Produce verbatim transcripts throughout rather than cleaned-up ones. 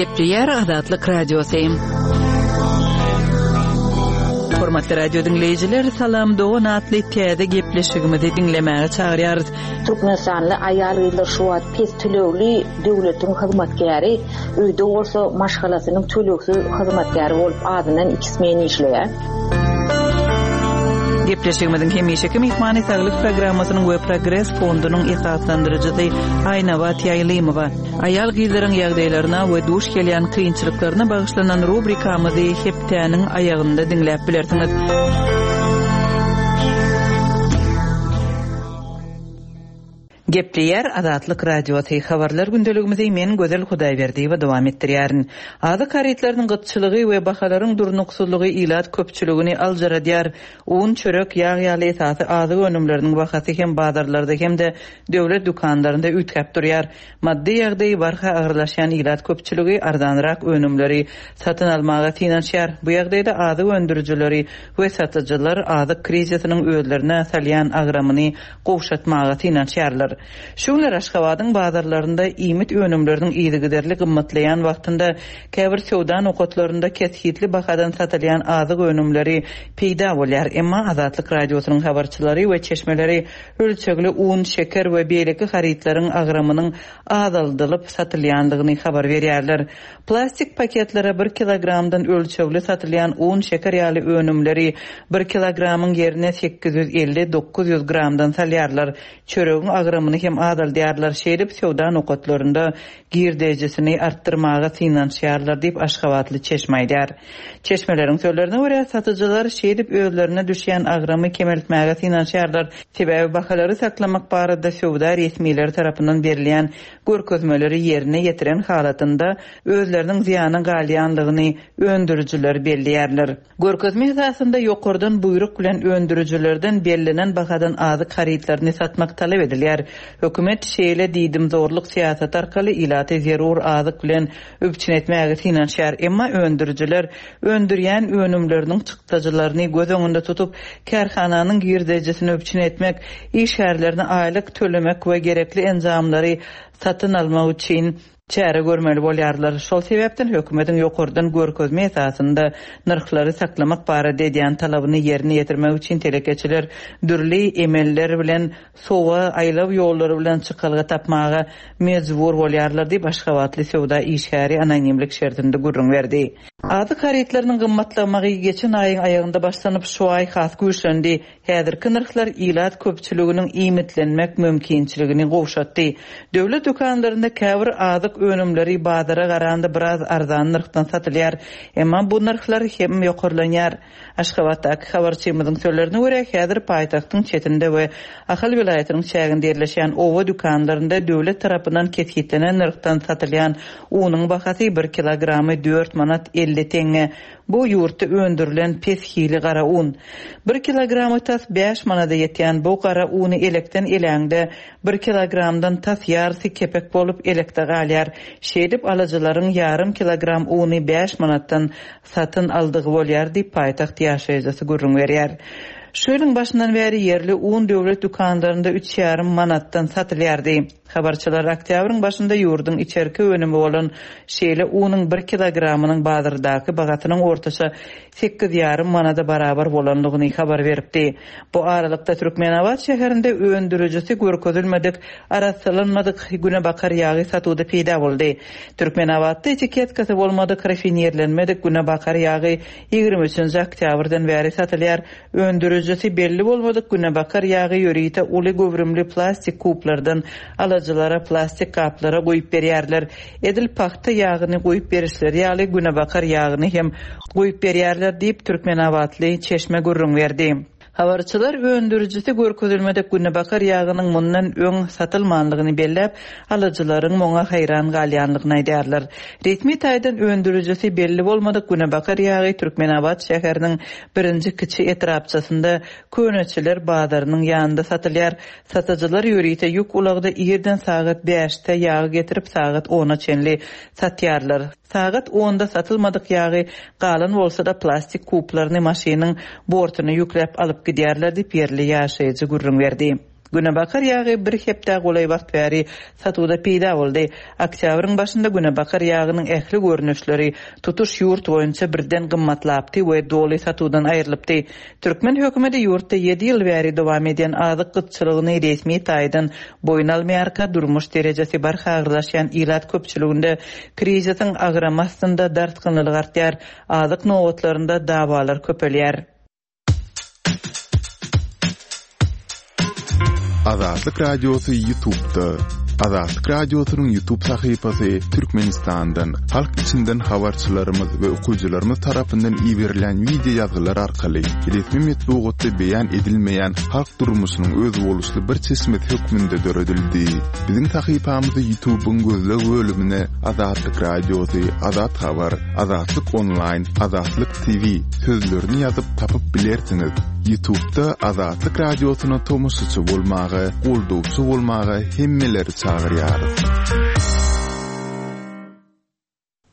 Gepleýär Azatlyk Radiosy. Hormatly radio diňleýjiler, Salam dogan atly täze gepleşigimizi diňlemäge çagyrýarys. Türkmenistanly aýal-gyzlar şu wagt pes tölegli döwletiň hyzmatkäri, öýde bolsa maşgalasynyň tölegsiz hyzmatkäri bolup azyndan iki smen işleýär. Gepleşigimiziň hemişeki myhmany Saglyk programmasynyň we Progres fondunyň esaslandyryjysy Aýnabat Ýaýlymowa. Aýal-gyzlaryň ýagdaýlaryna we duş gelýän kynçylyklaryna bagyşlanan rubrikamyzy hepdäniň aýagynda diňläp bilersiňiz. Gepleýär Azatlyk Radiosy. Habarlar gündeligimizi men Gözel Hudaýberdiýewa dowam etdirýärin. Azyk harytlarynyň gytçylygy we bahalaryň durnuksyzlygy ilat köpçüligini aljaradýar. Un, çörek, ýag ýaly esasy azyk önümleriniň bahasy hem bazarlarda hem-de döwlet dükanlarynda üýtgäp durýar. Maddy ýagdaýy barha agyrlaşýan ilat köpçüligi arzanrak önümleri satyn almaga synanyşýar. Bu ýagdaýda azyk öndürijileri we satyjylar azyk krizisiniň özlerine salýan agramyny gowşatmaga synanyşýarlar. Şu günler Aşgabadyň bazarlarynda iýmit önümleriniň yzygiderli gymmatlaýan wagtynda käbir söwda nokatlarynda kesgitli bahadan satylýan azyk önümleri peýda bolýar. Emma Azatlyk Radiosynyň habarçylary we çeşmeleri ölçegli un, şeker we beýleki harytlaryň agramynyň azaldylyp satylýandygyny habar berýärler. Plastik paketlere bir kilogramdan ölçegli satylýan un, şeker ýaly önümleri bir kilogramyň ýerine sekiz ýüz elli dokuz ýüz gramdan salýarlar. Çöregiň agramyny hem azaldýarlar. Şeýdip söwda nokatlarynda girdejisini artdyrmaga synanyşýarlar diýip Aşgabatly çeşme aýdýar. Çeşmeleriň sözlerine görä satyjylar şeýdip özlerine düşýän agramy kemeltmäge synanyşýarlar. Sebäbi bahalary saklamak barada söwda resmileri tarapyndan berilýän görkezmeleri ýerine ýetiren halatynda özleriniň zyýany galýanlygyny öndürijiler belleýärler. Görkezme esasynda ýokardan buýruk bilen öndürijilerden bellenen bahadan azyk harytlaryny satmak talap edilýär. Hökümet şeýle diýdim zorluk syýasaty arkaly ilaty zerur azyk bilen üpjün etmäge synanyşýar. Emma öndürijiler öndürýän önümleriniň çykdajylaryny göz öňünde tutup, kärhananyň girdejisini üpjün etmek, işgärlerini aýlyk tölemek we gerekli enjamlary satyn almak üçin çäre görmeli bolýarlar. Şol sebäpden hökümetiň ýokardan görkezme esasynda nyrhlary saklamak barada edýän talabyny ýerine ýetirmek üçin telekeçiler dürli emeller bilen sowa aýlaw ýollary bilen çykalga tapmaga mejbur bolýarlar diýip Aşgabatly söwda işgäri anonimlik şertinde gürrüň berdi. Azyk harytlarynyň gymmatlamagy geçen aýyň aýagynda başlanyp şu aý has güýçlendi. Häzirki nyrhlar ilat köpçüliginiň iýmitlenmek mümkinçiligini gowşatdy. Döwlet dükanlarynda käbir azyk önümleri bazara garanda biraz arzan nyrhdan satylýar. Emma bu nyrhlar hem ýokarlanýar. Aşgabatdaky habarçymyzyň sözlerine görä häzir paýtagtyň çetinde we Ahal welaýatynyň çäginde ýerleşýän oba dükanlarynda döwlet tarapyndan kesgitlenen nyrhdan satylýan unuň bahasy bir kilogramy dört manat elli teňňe. Bu ýurtda öndürilen pes hili gara un. Bir kilogramy tas bäş manada ýetýän bu gara uny elekden eläňde bir kilogramdan tas ýarysy kepek bolup elekde galýar. Şeýdip alyjylaryň ýarym kilogram uny bäş manatdan satyn aldygy bolýar diýip paýtagt ýaşaýjysy gürrüň berýär. Şu ýylyň başyndan bäri ýerli un döwlet dükanlarynda üç ýarym manatdan satylýardy. Habarçylar oktýabryň başynda ýurduň içerki önümi bolan şeýle unuň bir kilogramynyň bazardaky bahasynyň ortaça sekiz ýarym manada barabar bolandygyny habar beripdi. Bu aralykda Türkmenabat şäherinde öndürijisi görkezilmedik, arassalanmadyk günebakar ýagy satuwda peýda boldy. Türkmenabatda etiketkasy bolmadyk, rafinirlenmedik günebakar ýagy ýigrimi üçünji oktýabrdan bäri satylýar. Öndürijisi belli bolmadyk günebakar ýagy ýörite uly göwrümli plastik kuplardan alyjylara plastik gaplara goýup berýärler. Edil pagta ýagyny goýup berişleri ýaly günebakar ýagyny hem goýup berýärler diýip Türkmenabatly çeşme gürrüň berdi. Habarçylar öndürijisi görkezilmedik günebakar ýagynyň mundan öň satylmanlygyny belläp, alyjylaryň muňa haýran galýanlygyny aýdýarlar. Resmi taýdan öndürijisi belli bolmadyk günebakar ýagy Türkmenabat şäheriniň birinji kiçi etrapçasynda Köneçiler bazarynyň ýanynda satylýar. Satyjylar ýörite ýük ulagda irden sagat bäşde ýagy getirip sagat ona çenli satýarlar. Sagat onda satylmadyk ýagy galan bolsa da plastik kuplaryny maşynyň bortuna ýükläp alyp gidýärler diýip ýerli ýaşaýjy gürrüň berdi. Günebakar ýagy bir hepdä golaý wagt bäri satuwda peýda boldy. Oktýabryň başynda günebakar ýagynyň ähli görnüşleri tutuş ýurt boýunça birden gymmatlapdy we doly satuwdan aýrylypdy. Türkmen hökümeti ýurtda ýedi ýyl bäri dowam edýän azyk gytçylygyny resmi taýdan boýun almaýarka, durmuş derejesi barha agyrlaşýan ilat köpçüliginde krizisiň agramy astynda dartgynlylyk artýar, azyk nobatlarynda dawalar köpelýär. Azatlyk Radiosy YouTube'da. Azatlyk Radiosynyň YouTube sahypasy Türkmenistandan, halk içinden habarçylarymyz we okyjylarymyz tarapyndan iberilen wideo ýazgylar arkaly resmi metbugatda beýan edilmeýän halk durmuşynyň özboluşly bir çeşmesi hökmünde döredildi. Biziň sahypamyzy YouTube'yň gözleg bölümine Azatlyk Radiosy, Azat Habar, Azatlyk Online, Azatlyk T V sözlerini ýazyp tapyp bilersiňiz. YouTube'da Azatlyk Radiosyna tomaşaçy bolmaga, goldawçy bolmaga hemmeleri çagyrýarys.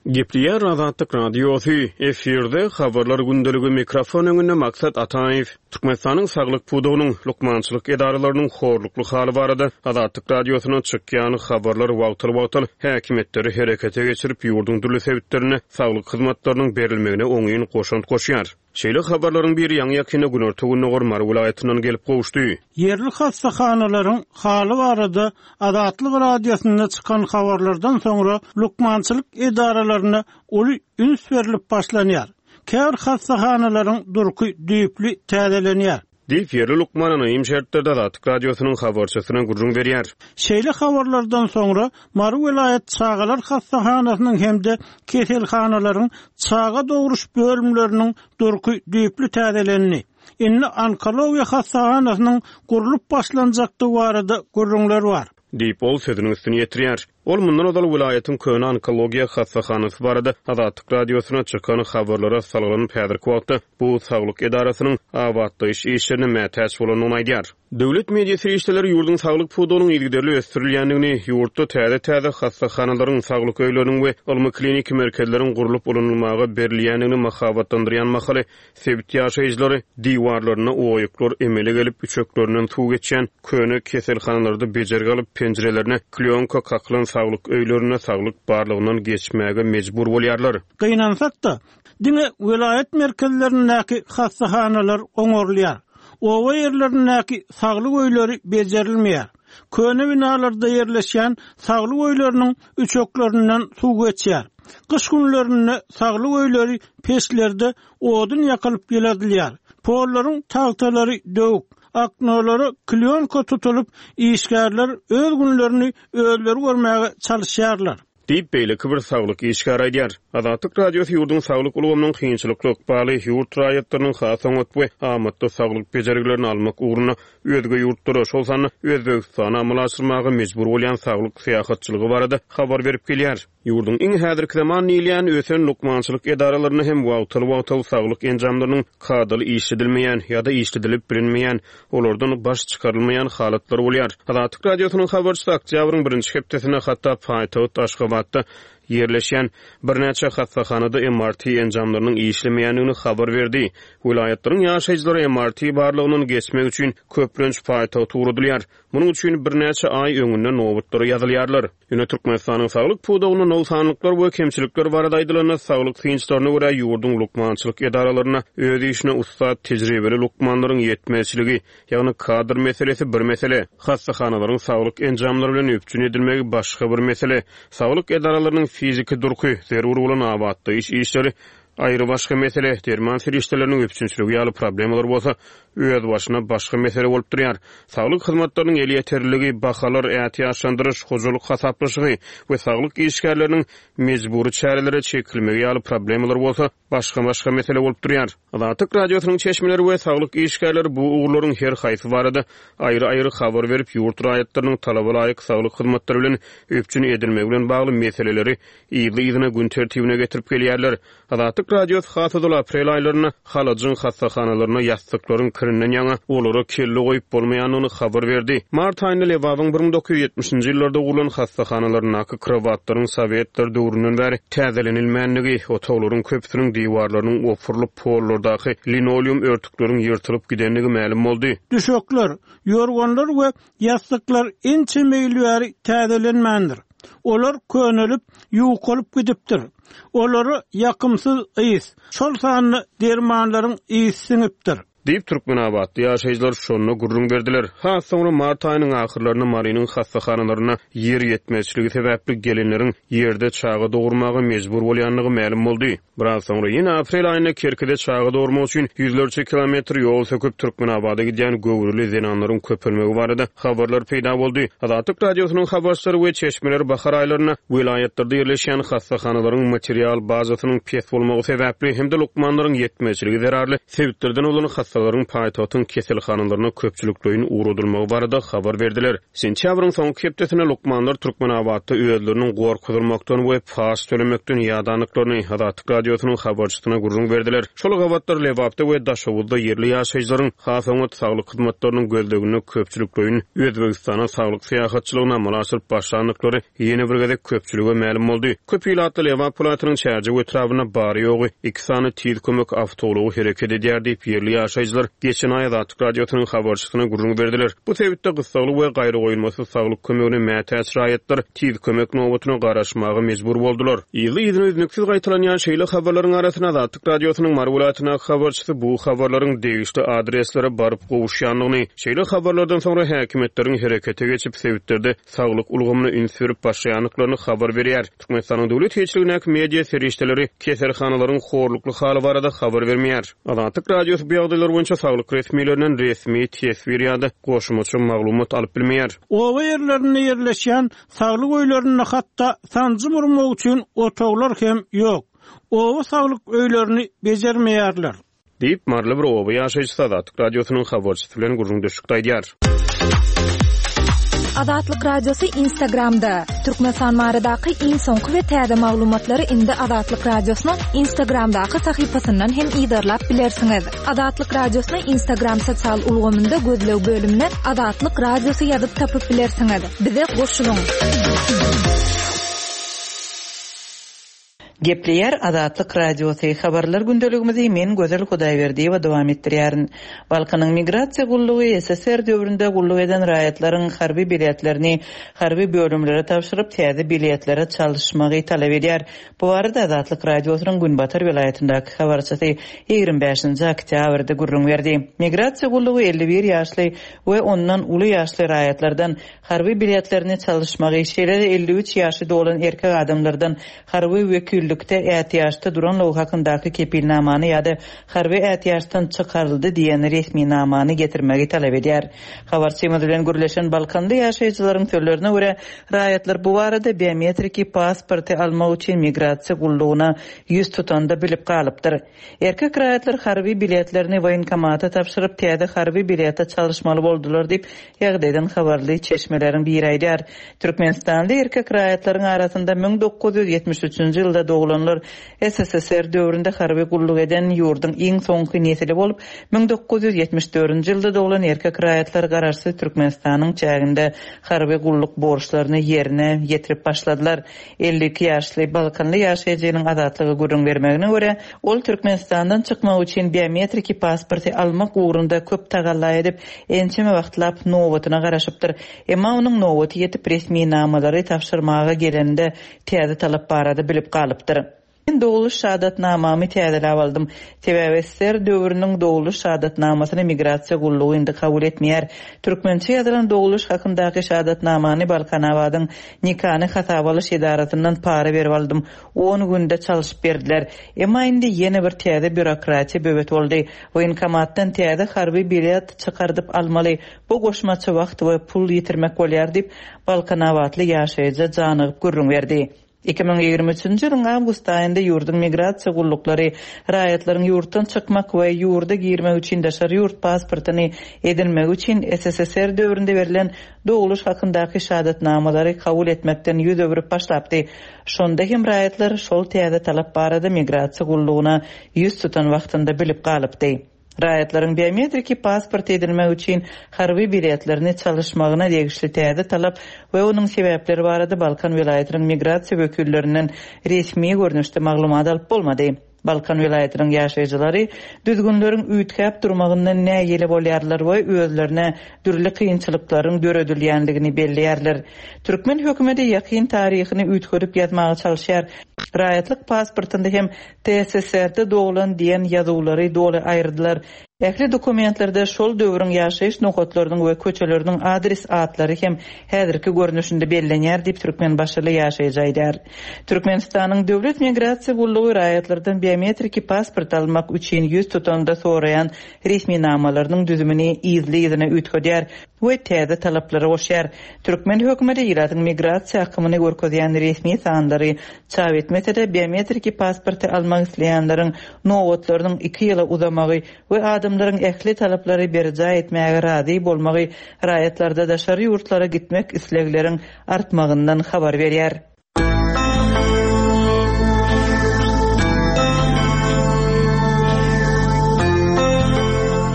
Gepleýär Azatlyk Radiosy, efirde habarlar gündeligi, mikrofon öňünde Maksat Ataýew. Türkmenistanyň saglyk pudagynyň, lukmançylyk edaralarynyň horlukly haly barada Azatlyk Radiosyna çykýan habarlar wagtal-wagtal häkimiýetleri herekete geçirip, ýurduň dürli sebitlerinde saglyk hyzmatlarynyň berilmegine oňyn goşant goşýar. Şeýle habarlaryň biri ýaňy-ýakynda günorta-gündogar Mary welaýatyndan gelip gowuşdy. Ýerli hassahanalaryň haly barada Azatlyk Radiosynda çykan habarlardan soňra lukmançylyk edaralaryna uly üns berlip başlanýar. Käbir hassahanalaryň durky düýpli täzelenýär. Diýip, ýerli lukman anonim şertlerde Azatlyk Radiosynyň habarçysyna gürrüň berýär. Şeýle habarlardan soňra Mary welaýat çagalar hassahanasynyň hem-de keselhanalaryň çaga dogruş bölümleriniň durky düýpli täzelendi. Indi onkologiýa hassahanasynyň gurlup başlanjakdygy barada gürrüňler bar. Diýip, ol sözüniň üstüni ýetirýär. Ol mundan ozal welaýatyň köne onkologiýa hassahanasy barada Azatlyk Radiosyna çykan habarlara salgylanyp, häzirki wagtda bu saglyk edarasynyň abatlaýyş işlerine mätäç bolandygyny aýdýar. Döwlet media serişdeleri ýurduň saglyk pudagynyň yzygiderli ösdürilýändigini, ýurtda täze-täze hassahanalaryň, saglyk öýleriniň we ylmy kliniki merkezleriň gurlup ulanylmaga berilýändigini mahabatlandyrýan mahaly sebit ýaşaýjylary diwarlarynda oýuklar emele gelip, üçeklerinden suw geçýän köne keselhanalarda bejergi alyp, penjirelerine klýonka kakylan saglyk öýlerinde saglyk barlagyndan geçmäge mejbur bolýarlar. Gynansak-da, diňe welaýat merkezlerindäki hassahanalar oňarylýar. Oba ýerlerindäki saglyk öýleri bejerilmeýär. Köne binalarda ýerleşýän saglyk öýleriniň üçeklerinden suw geçýär. Gyş günlerinde saglyk öýleri peçlerde odun ýakylyp ýyladylýar. Pollaryň tagtalary döwük, oknolara klýonka tutulyp, işgärler öz günlerini özleri görmäge çalışýarlar. Diýip, beýleki bir saglyk işgäri aýdýar. Azatlyk Radiosy ýurduň saglyk ulgamynyň kynçylykly ykbaly, ýurt raýatlarynyň has oňat we amatly saglyk bejergilerini almak ugrunda özge ýurtlara, şol sanda Özbegistana amala aşyrmaga mejbur bolýan saglyk syýahatçylygy barada habar berip gelýär. Ýurduň iň häzirki zaman diýilýän ösen lukmançylyk edaralarynda hem wagtal-wagtal saglyk enjamlarynyň kadaly işledilmeýän ýa-da işledilip bilinmeýän, olardan baş çykarylmaýan halatlary bolýar. Azatlyk Radiosynyň habarçysy oktýabryň birinji hepdesinde hatda paýtagt Aşgabatda ýerleşýän birnäçe hassahanada M R T enjamlarynyň işlemeýändigini habar berdi. Welaýatlaryň ýaşaýjylary M R T barlagyndan geçmek üçin köplenç paýtagta ugradylýar. Munuň üçin birnäçe aý öňünden nobatlara ýazylýarlar. Ýöne Türkmenistanyň saglyk pudagynda nogsanlyklar we kemçilikler barada aýdylanda, saglyk synçylaryna görä, ýurduň lukmançylyk edaralarynda öz işine ussat, tejribeli lukmanlaryň ýetmezçiligi, ýagny kadr meselesi bir mesele, hassahanalaryň saglyk enjamlary bilen üpjün edilmegi başga bir mesele, saglyk edaralarynyň fiziki durky, zerur bolan abatlaýyş işleri aýry başga mesele, derman serişdeleriniň üpjünçiligi ýaly problemalar bolsa öz başyna başga mesele bolup durýar. Saglyk hyzmatlarynyň elýeterliligi, bahalar, ätiýaçlandyryş, hojalyk hasaplaşygy we saglyk işgärleriniň mejbury çärelere çekilmegi ýaly problemalar bolsa başga-başga mesele bolup durýar. Azatlyk Radiosynyň çeşmeleri we saglyk işgärleri bu ugurlaryň her haýsy barada aýry-aýry habar berip, ýurt raýatlarynyň talaba laýyk saglyk hyzmatlary bilen üpjün edilmegi bilen bagly meseleleri yzly-yzyna gün tertibine getirip gelýärler. Azatlyk Radiosy has ozal aprel aýlarynda Halajyň hassahanalarynda ýassyklaryň kirinden ýaňa olara kelle goýup bolmaýandygyny habar berdi. Mart aýynda Lebabyň bir müň dokuz ýüz ýetmişinji ýyllarda gurlan hassahanalaryndaky krowatlaryň sowetler döwründen bäri täzelenilmändigi, otaglaryň köpüsiniň diwarlarynyň opurylyp, pollardaky linoleum örtükleriň ýyrtylyp gidendigi mälim boldy. Düşekler, ýorganlar we ýassyklar ençeme ýyl bäri täzelenmändir. Olar könelip, ýukalyp gidipdir. Olara ýakymsyz ys, şol sanda dermanlaryň ysy siňipdir. Diýip, türkmenabatly ýaşaýjylar şonda gürrüň berdiler. Has soňra mart aýynyň ahyrlarynda Marynyň hassahanalarynda ýer ýetmezçiligi sebäpli gelinleriň ýerde çaga dogurmaga mejbur bolýandygy mälim boldy. Biraz soňra ýene aprel aýynda Kerkide çaga dogurmak üçin ýüzlerçe kilometr ýol söküp Türkmenabada gidýän göwreli zenanlaryň köpelmegi barada habarlar peýda boldy. Azatlyk Radiosynyň habarçylary we çeşmeleri bahar aýlarynda welaýatlarda ýerleşýän hassahanalaryň material bazasynyň pes bolmagy sebäpli hem-de lukmanlaryň ýetmezçiligi zerarly sebitlerden bolan hassalaryň paýtagtyň keselhanalaryna köpçülikleýin ugradylmagy barada habar berdiler. Sentýabryň soňky hepdesinde lukmanlar Türkmenabatda özleriniň gorkuzylmakdan we paç tölemekden ýadandyklaryny Azatlyk Radiosynyň habarçysyna gürrüň berdiler. Şol gabatlar Lebapda we Daşoguzda ýerli ýaşaýjylaryň has oňat saglyk hyzmatlarynyň gözleginde köpçülikleýin Özbegistana saglyk syýahatçylygyny amala aşyryp başlandyklary ýene bir gezek köpçülige mälim boldy. Köp ilatly Lebap welaýatynyň Çärjew etrabynda bary-ýogy iki sany tiz kömek awtoulagy hereket edýär diýip, ýerli ýaşaýjylar geçen aý Azatlyk Radiosynyň habarçysyna gürrüň berdiler. Bu sebitde gyssagly we gaýragoýulmasyz saglyk kömegine mätäç raýatlar tiz kömek nobatyna garaşmaga mejbur boldular. Yzly-yzyna üznüksiz gaýtalanýan şeýle habarlaryň arasynda Azatlyk Radiosynyň Mary welaýatyndaky habarçysy bu habarlaryň degişli adreslere baryp gowuşýandygyny, şeýle habarlardan soňra häkimiýetleriň herekete geçip sebitlerde saglyk ulgamyna üns berip başlaýandyklaryny habar berýär. Türkmenistanyň döwlet eýeçiligindäki media serişdeleri keselhanalaryň horlukly haly barada habar bermeýär. Azatlyk Radiosy bu ýagdaýlar boýunça saglyk resmilerinden resmi teswir ýa-da goşmaça maglumat alyp bilmeýär. Oba ýerlerinde ýerleşýän saglyk öýlerinde hatda sanjym urmak üçin otaglar hem ýok. Oba saglyk öýlerini bejermeýärler. Diýip, Maryly bir oba ýaşaýjysy Azatlyk Radiosynyň habarçysy bilen gürrüňdeşlikde aýdýar. Azatlyk Radiosy Instagramda. Türkmenistan baradaky iň soňky we täze maglumatlary indi Azatlyk Radiosynyň Instagramdaky sahypasyndan hem yzarlap bilersiňiz. Azatlyk Radiosyny Instagram sosial ulgamynda gözleg bölümine Azatlyk Radiosy ýazyp tapyp bilersiňiz. Bize goşulyň. Gepleýär Azatlyk Radiosy. Habarlar gündeligimizi men Gözel Hudaýberdiýewa dowam etdirýärin. Balkanyň migrasiýa gullugy S S S R döwründe gulluk eden raýatlaryň harby biletlerini harby bölümlere tabşyryp täze biletlere çalyşmagy talap edýär. Bu barada Azatlyk Radiosynyň Günbatar welaýatyndaky habarçysy ýigrimi bäşinji oktýabrda gürrüň berdi. Migrasiýa gullugy elli bir ýaşly we ondan uly ýaşly raýatlardan harby biletlerini çalyşmagy, şeýle-de elli üç ýaşy dolan erkek adamlardan harby wekillikde ätiýaçda duranlygy hakyndaky kepilnamany ýa-da harby ätiýaçdan çykaryldy diýen resminamany getirmegi talap edýär. Habarçymyz bilen gürleşen Balkanly ýaşaýjylaryň sözlerine görä, raýatlar bu barada biometriki pasporty almak üçin migrasiýa gullugyna ýüz tutanda bilip galypdyr. Erkek raýatlar harby biletlerini woýenkomata tabşyryp täze harby bilete çalyşmaly boldular diýip, ýagdaýdan habarly çeşmeleriň biri aýdýar. Türkmenistanly erkek raýatlaryň arasynda müň dokuz ýüz ýetmiş üçünji ýylda doglanlar S S S R döwründe harby gulluk eden ýurduň iň soňky nesili bolup, müň dokuz ýüz ýetmiş dördünji ýylda doglan erkek raýatlar garaşsyz Türkmenistanyň çäginde harby gulluk borçlaryny ýerine ýetirip başladylar. Elli iki ýaşly Balkanly ýaşaýjynyň Azatlyga gürrüň bermegine görä, ol Türkmenistandan çykmak üçin biometriki pasporty almak ugrunda köp tagalla edip, ençeme wagtlap nobatyna garaşypdyr. Emma onuň nobaty ýetip resminamalary tabşyrmaga gelende täze talap barada bilip galypdyr. Men doguluş şahadatnamamy täzeläp aldym. Sebäbi S S S R döwrüniň doguluş şahadatnamasyny migrasiýa gullugy indi kabul etmeýär. Türkmençe ýazylan doguluş hakyndaky şahadatnamany Balkanabadyň nikany hasaba alyş edarasyndan para berip aldym. On günde çalyşyp berdiler. Emma indi ýene bir täze bürokratiýa böwet boldy. Woýenkomatdan täze harby bilet çykardyp almaly. Bu goşmaça wagt we pul ýitirmek bolýar diýip Balkanabatly ýaşaýjy janygyp gürrüň berdi. Iki müň ýigrimi üçünji ýylyň awgust aýynda ýurduň migrasiýa gulluklary raýatlaryň ýurtdan çykmak we ýurda girmek üçin daşary ýurt pasportyny edinmek üçin S S S R döwründe berlen doguluş hakyndaky şahadatnamalary kabul etmekden ýüz öwrüp başlapdy. Şonda hem raýatlar şol täze talap barada migrasiýa gullugyna ýüz tutan wagtynda bilip galypdy. Raýatlaryň biometriki pasport edinmek üçin harby biletlerini çalyşmagyna degişli täze talap we onuň sebäpleri barada Balkan welaýatynyň migrasiýa wekillerinden resmi görnüşde maglumat alyp bolmady. Balkan welaýatynyň ýaşaýjylary düzgünleriň üýtgäp durmagyndan nägile bolýarlar we özlerine dürli kynçylyklaryň döredilýändigini belleýärler. Türkmen hökümeti ýakyn taryhyny üýtgedip ýazmaga çalyşýar. Raýatlyk pasportynda hem T S S R-de doglan diýen ýazuwlary doly aýyrdylar. Ähli dokumentlerde şol döwrüň ýaşaýyş nokatlarynyň we köçeleriniň adres atlary hem häzirki görnüşinde bellenýär diýip Türkmenbaşyly ýaşaýjy aýdar. Türkmenistanyň Döwlet Migrasiýa gullugy raýatlardan biometriki pasport almak üçin ýüz tutanda soraýan resminamalarynyň düzümini yzly-yzyna üýtgedýär we täze talaplary goşýar. Türkmen hökümeti ilatyň migrasiýa akymyny görkezýän resmi sanlary çap etmese-de biometriki pasporty almak isleýänleriň nobatlarynyň iki ýyla uzamagy we adamlaryň ähli talaplary berjaý etmäge razy bolmagy raýatlarda daşary ýurtlara gitmek islegleriň artmagyndan habar berýär.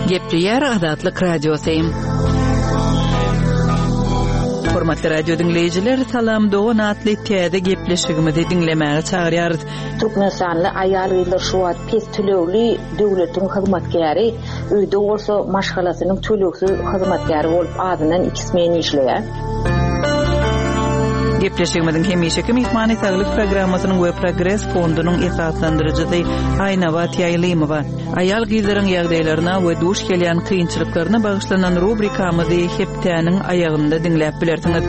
Gepleýär Azatlyk Radiosy. Hormatly radio diňleýjiler, Salam Dogan atly täze gepleşigimizi diňlemäge çagyrýarys. Türkmenistanly aýal-gyzlar şu wagt pes tölegli döwletiň hyzmatkäri, öýde bolsa maşgalasynyň tölegsiz hyzmatkäri bolup azyndan iki smen işleýär. Gepleşigimiziň hemişeki myhmany saglyk programmasynyň we Progres fondunyň esaslandyryjysy Aýnabat Ýaýlymowa. Aýal gyzlaryň ýagdaýlaryna we duş gelýän kynçylyklaryna bagyşlanan rubrikamyzy hepdäniň aýagynda diňläp bilersiňiz.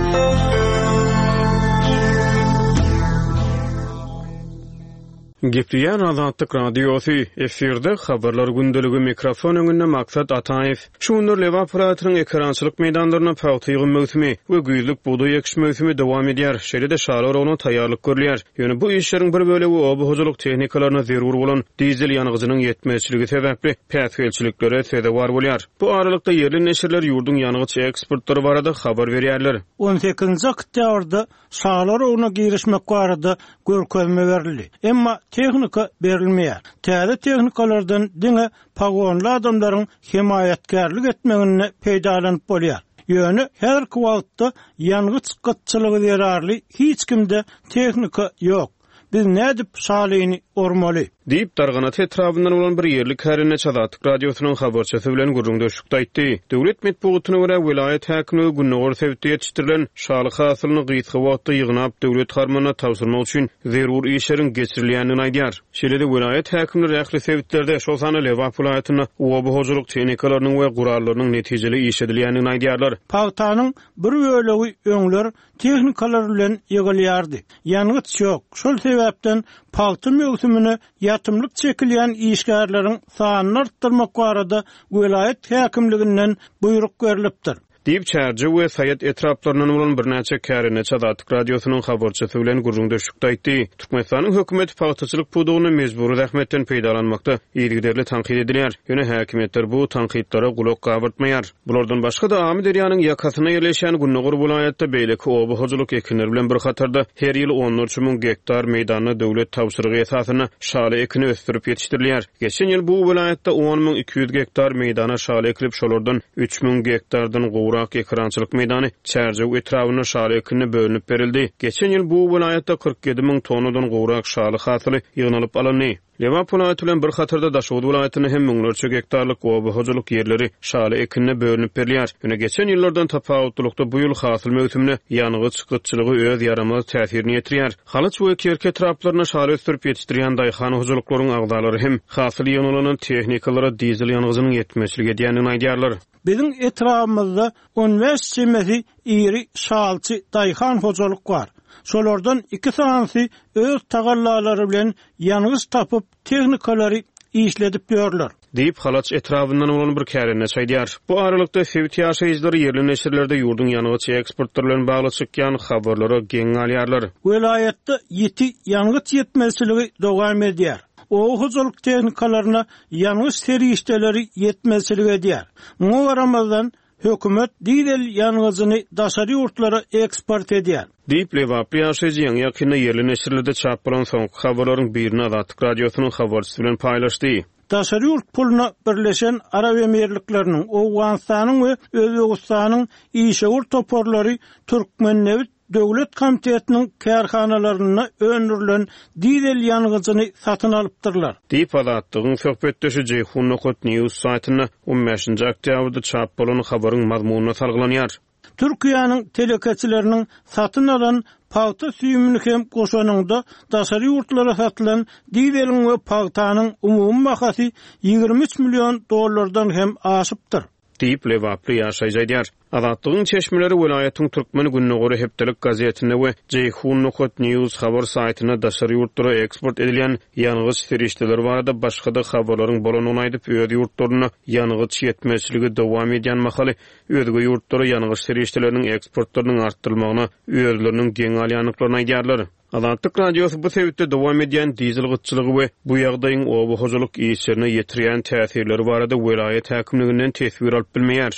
Gepleýär Azatlyk Radiosy, efirde habarlar gündeligi, mikrofon öňünde Maksat Ataýew. Şu günler Lebap welaýatynyň ekerançylyk meýdanlarynda pagta ýygym möwsümi we güýzlük bugdaý ekiş möwsümi dowam edýär. Şeýle-de şaly oragyna taýýarlyk görülýär. Ýöne bu işleriň bir bölegi oba hojalyk tehnikalaryna zerur bolan dizel ýangyjynyň ýetmezçiligi sebäpli päsgelçiliklere sezewar bolýar. Bu aralykda ýerli neşirler ýurduň ýangyç eksportlary barada habar berýärler. on sekizinji oktýabrda şaly oragyna girişmek barada görkezme berildi. Emma tehnika berilmeýär. Täze tehnikalardan diňe pagonly adamlaryň hemaýatkärlik etmegine peýdalanyp bolýar. Ýöne häzirki wagtda ýangyç gytçylygy zerarly hiç kimde tehnika ýok. Biz nädip şalyny ormaly? Diýip, Darganat etrabyndan bolan bir ýerli kärendeçi Azatlyk Radiosynyň habarçysy bilen gürrüňdeşlikde aýtdy. Döwlet metbugatyna görä welaýat häkimligi gündogar sebitde ýetişdirilen şaly hasylyny gysga wagtda ýygnap döwlet harmanyna tabşyrmak üçin zerur işleriň geçirilýändigini aýdýar. Şeýle-de welaýat häkimleri ähli sebitlerde, şol sanda Lebap welaýatynda oba hojalyk tehnikalarynyň we gurallarynyň netijeli işledilýändigini aýdýarlar. Pagtanyň bir bölegi öňler tehnikalar bilen ýygylýardy. Ýangyç ýok. Şol sebäpden pagta möwsümine ýatymlyk çekilýän işgärleriň sanyny artdyrmak barada welaýat häkimliginden buýruk berilipdir. Diýip, Çärjew we Saýat etraplaryndan bolan birnäçe kärendeçi Azatlyk Radiosynyň habarçysy bilen gürrüňdeşlikde aýtdy. Türkmenistanyň hökümeti pagtaçylyk pudagyny mejbury zähmetden peýdalanmakda yzygiderli tankyt edilýär. Ýöne häkimiýetler bu tankytlara gulak gabartmaýar. Bulardan başga-da Amyderýanyň ýakasynda ýerleşen Gündogar welaýatda beýleki oba hojalyk ekinleri bilen bir hatarda her ýyl onlarça müň gektar meýdanda döwlet tabşyrygy esasynda şaly ekini ösdürip ýetişdirilýär. Geçen ýyl bu welaýatda on müň iki ýüz gektar meýdana şaly ekilip, şolardan üç müň gektardan gowrak ekerançylyk meýdany Çärjew etrabynda şaly ekinine bölünip berildi. Geçen ýyl bu welaýatda kyrk ýedi müň tonnadan gowrak şaly hasyly ýygnalyp alyndy. Lebap welaýaty bilen bir hatarda Daşoguz welaýatynda hem müňlerçe gektarlyk oba hojalyk ýerleri şaly ekinine bölünip berilýär. Ýöne geçen ýyllardan tapawutlylykda bu ýyl hasyl möwsümine ýangyç gytçylygy öz ýaramaz täsirini ýetirýär. Halaç we Kerki etraplarynda şaly ösdürip ýetişdirýän daýhan hojalyklaryň agzalary hem hasyl ýygnalan tehnikalara dizel ýangyjynyň ýetmezçilik edýändigini aýdýarlar. Biziň etrabymyzda on bäş çemesi iri şalçy daýhan hojalyk bar. Şolardan iki sanysy öz tagallalary bilen ýangyç tapyp tehnikalary işledip ýörler. Diýip, Halaç etrabyndan bolan bir kärendeçi aýdýar. Bu aralykda sebit ýaşaýjylary ýerli neşirlerde ýurduň ýangyç eksportlary bilen bagly çykýan habarlara geň galýarlar. Welaýatda ýiti ýangyç ýetmezçiligi dowam edýär. Oba hojalyk tehnikalaryna ýangyç serişdeleri ýetmezçilik edýär. Muňa garamazdan hökümet dizel ýangyjyny daşary ýurtlara eksport edýär. Diýip, Lebaply ýaşaýjy ýaňy ýakynda ýerli neşirlerde çap bolan soňky habarlaryň birini Azatlyk Radiosynyň habarçysy bilen paýlaşdy. Daşary ýurt puluna Birleşen Arap Emirlikleriniň, Owganystanyň we Özbegistanyň işewür toparlary Türkmennebit döwlet komitetiniň kärhanalarynda öndürilen dizel ýangyjyny satyn alypdyrlar. Diýip, Azatlygyň söhbetdeşi Jeýhun nokat news saýtynda on bäşinji oktýabrda çap bolan habaryň mazmunyna salgylanýar. Türkiýäniň telekeçileriniň satyn alan pagta süýümini hem goşanynda daşary ýurtlara satylan dizeliň we pagtanyň umumy bahasy ýigrimi üç million dollardan hem aşypdyr. Diýip, Lebaply ýaşaýjy aýdýar. Azatlygyň çeşmeleri welaýatyň Türkmen Gündogary hepdelik gazetinde we Jeýhun nokat news habar saýtynda daşary ýurtlara eksport edilýän ýangyç serişdeleri barada başga-da habarlaryň bolandygyny aýdyp, öz ýurtlarynda ýangyç ýetmezçiligi dowam edýän mahaly özge ýurtlara ýangyç serişdeleriniň eksportlarynyň artdyrylmagyna özleriniň geň alýandyklaryny aýdýarlar. Azatlyk Radiosy bu sebitde dowam edýän dizel gytçylygy we bu ýagdaýyň oba hojalyk işlerine ýetirýän täsirleri barada welaýat häkimliginden teswir alyp bilmeýär.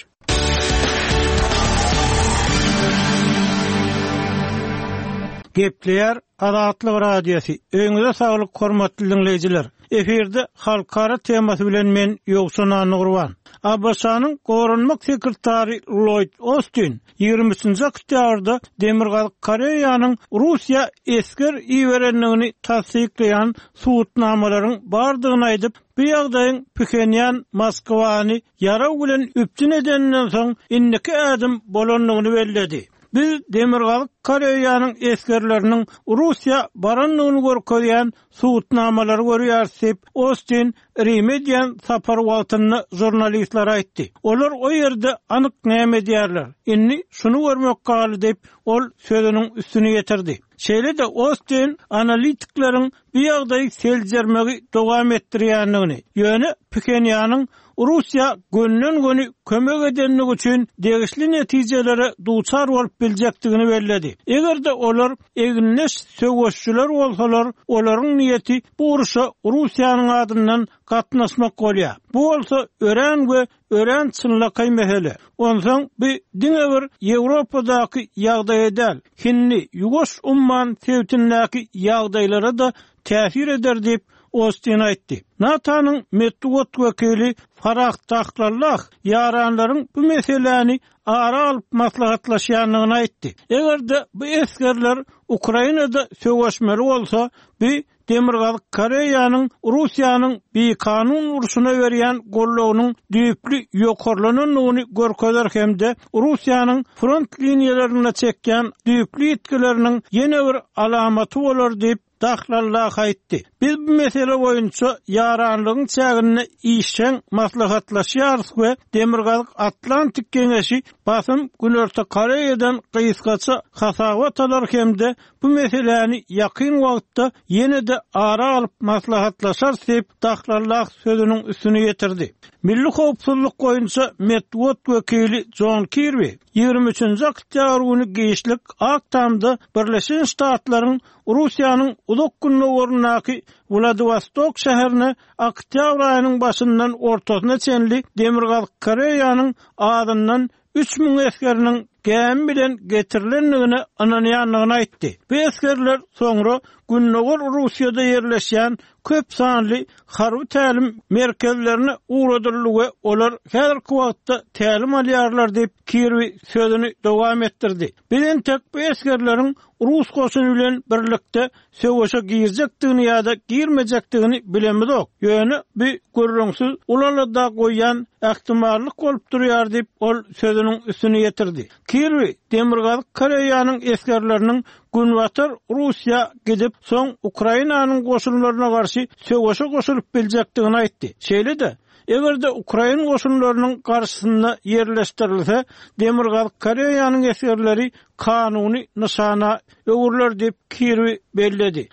Gepleýär Azatlyk Radiosy. Öýüňize saglyk hormatly dinleýjiler. Efirde halkara temasy bilen men Ýowşan Annagurban. A B Ş-nyň goranmak sekretary Lloyd Austin ýigrimi üçünji oktýabrda Demirgazyk Koreýanyň Russiýa esger iberendigini tassyklaýan subutnamalaryň bardygyny aýdyp, bu ýagdaýyň Phenýan Moskwany ýaraw bilen üpjün edeninden soň indiki ädim bolandygyny belledi. Biz Demirgazyk Koreýanyň esgerleriniň Russiýa barandygyny görkezýän subutnamalary görýäris diýip, Austin Rime edýän sapar wagtynda žurnalistler aýtdy. Olar o ýerde anyk näme edýärler? Indi şuny görmek galdy diýip, ol sözüniň üstüni ýetirdi. Şeýle-de Austin analitikleriň bu ýagdaýy seljermegi dowam etdirýändigini, ýöne Phenýanyň Russiýa gönden-göni kömek edenligi üçin degişli netijelere duçar bolup biljekdigini belledi. Eger-de olar egindeş söweşçiler bolsalar, olaryň niýeti bu uruşa Russiýanyň adyndan gatnaşmak bolýar. Bu bolsa örän we örän çynlakaý mesele. Onsoň bu diňe bir Ýewropadaky ýagdaýa däl, Hindi, Ýuwaş umman sebitindäki ýagdaýlara da täsir eder diýip Austin aýtdy. NATO-nyň metbugat wekili Farah Dahlallah ýaranlaryň bu meseläni ara alyp maslahatlaşýandygyny aýtdy. Eger-de bu esgerler Ukrainada söweşmeli bolsa, bu Demirgazyk Koreýanyň Russiýanyň bikanun urşuna berýän goldawynyň düýpli ýokarlanandygyny görkezer hem-de Russiýanyň front liniýalarynda çekýän düýpli ýitgileriniň ýene bir alamaty bolar diýip Dahlallah aýtdy. Biz bu mesele boýunça ýaranlygyň çäginde işjeň maslahatlaşýarys we Demirgazyk Atlantik Geňeşi basym Günorta Koreýadan gysgaça hasabat alar hem-de bu meseläni ýakyn wagtda ýene-de ara alyp maslahatlaşarys diýip Dahlallah sözüniň üstüni ýetirdi. Milli howpsuzlyk boýunça metbugat wekili John Kirby ýigrimi üçünji oktýabr güni giçlik Ak Tamda Birleşen Ştatlaryň Russiýanyň uzak gündogaryndaky Wladivostok şäherine oktýabr aýynyň başyndan ortasyna çenli Demirgazyk Koreýanyň azyndan üç müň esgeriniň gämi bilen getirilendigine ynanýandygyny aýtdy. Bu esgerler soňra Gündogar Russiýada ýerleşýän köp sanly harby tälim merkezlerine ugradyldy we olar häzirki wagtda tälim alýarlar diýip Kirby sözüni dowam etdirdi. Biz entek bu esgerleriň Rus goşuny bilen birlikde söweşe girjekdigini ýa-da girmejekdigini bilemizok. Ýöne bu gürrüňsiz ulalada goýýan ähtimallyk bolup durýar diýip ol sözüniň üstüni ýetirdi. Kirby Demirgazyk Koreýanyň esgerleriniň Günbatar Russiýa gidip soň Ukrainanyň goşunlaryna garşy söweşe goşulyp biljekdigini aýtdy. Şeýle-de, eger-de Ukrain goşunlarynyň garşysynda ýerleşdirilse, Demirgazyk Koreýanyň esgerleri kanuny nyşana öwrüler diýip Kirby belledi.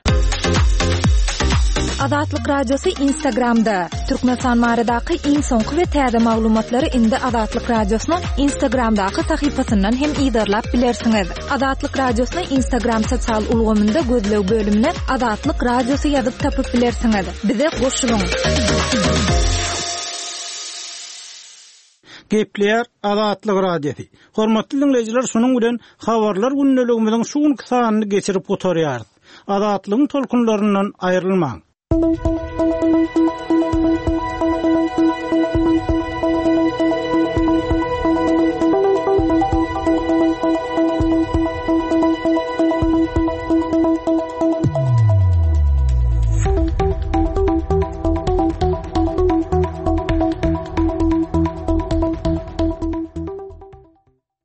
Azatlyk Radiosy Instagramda. Türkmenistan baradaky iň soňky we täze maglumatlary indi Azatlyk Radiosynyň Instagramdaky sahypasyndan hem yzarlap bilersiňiz. Azatlyk Radiosyny Instagram sosial ulgamynda gözleg bölümine Azatlyk Radiosy ýazyp tapyp bilersiňiz. Bize goşulyň. Gepleýär Azatlyk Radiosy. Hormatly dinleýjiler, şunuň bilen habarlar gündeligimiziň şu günki sanyny geçirip gutarýarys. Azatlygyň tolkunlaryndan aýrylmaň.